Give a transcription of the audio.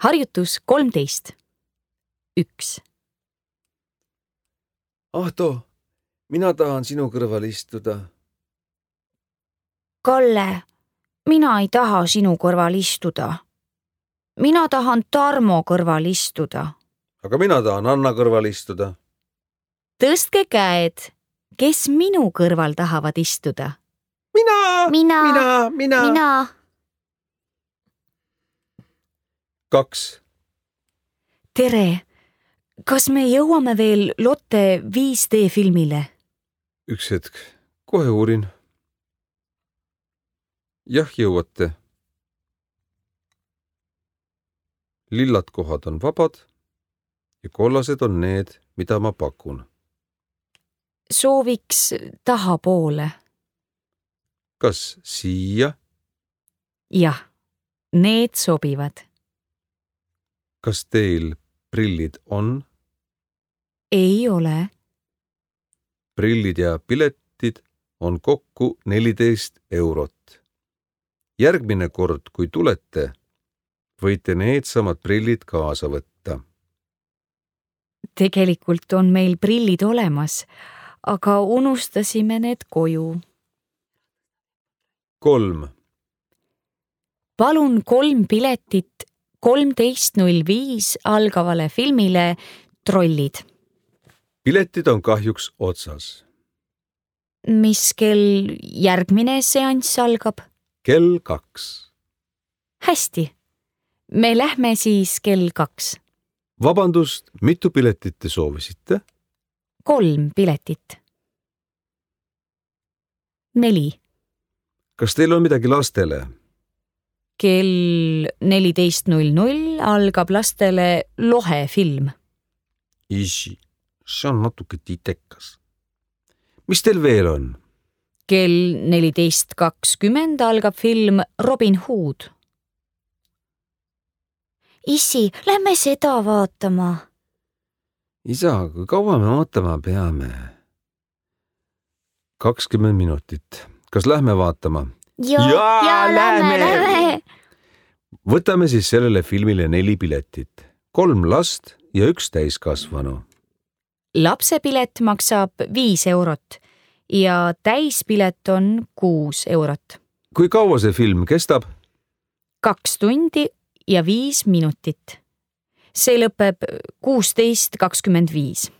Harjutus 13. 1. Ahto, mina tahan sinu kõrval istuda. Kalle, mina ei taha sinu kõrval istuda. Mina tahan Tarmo kõrval istuda. Aga mina tahan Anna kõrval istuda. Tõstke käed, kes minu kõrval tahavad istuda? Mina. 2. Tere, kas me jõuame veel Lotte 5D filmile? Üks hetk, kohe uurin. Jah, jõuate. Lillad kohad on vabad ja kollased on need, mida ma pakun. Sooviks tahapoole. Kas siia? Jah, need sobivad. Kas teil prillid on? Ei ole. Prillid ja piletid on kokku 14 eurot. Järgmine kord, kui tulete, võite needsamad prillid kaasa võtta. Tegelikult on meil prillid olemas, aga unustasime need koju. 3. Palun 3 piletit 13.05 algavale filmile Trollid. Piletid on kahjuks otsas. Mis kell järgmine seanss algab? Kell 2. Hästi. Me lähme siis kell 2. Vabandust, mitu piletit te soovisite? 3 piletit. 4. Kas teil on midagi lastele? Kell 14.00 algab lastele Lohe film. Isi, see on natuke titekas. Mis teil veel on? Kell 14.20 algab film Robin Hood. Issi, lähme seda vaatama. Isa, kui kaua me ootama peame? 20 minutit. Kas lähme vaatama? Ja, lähme. Võtame siis sellele filmile 4 piletit. 3 last ja 1 täiskasvanu. Lapsepilet maksab 5 eurot ja täispilet on 6 eurot. Kui kaua see film kestab? 2 tundi ja 5 minutit. See lõpeb 16.25.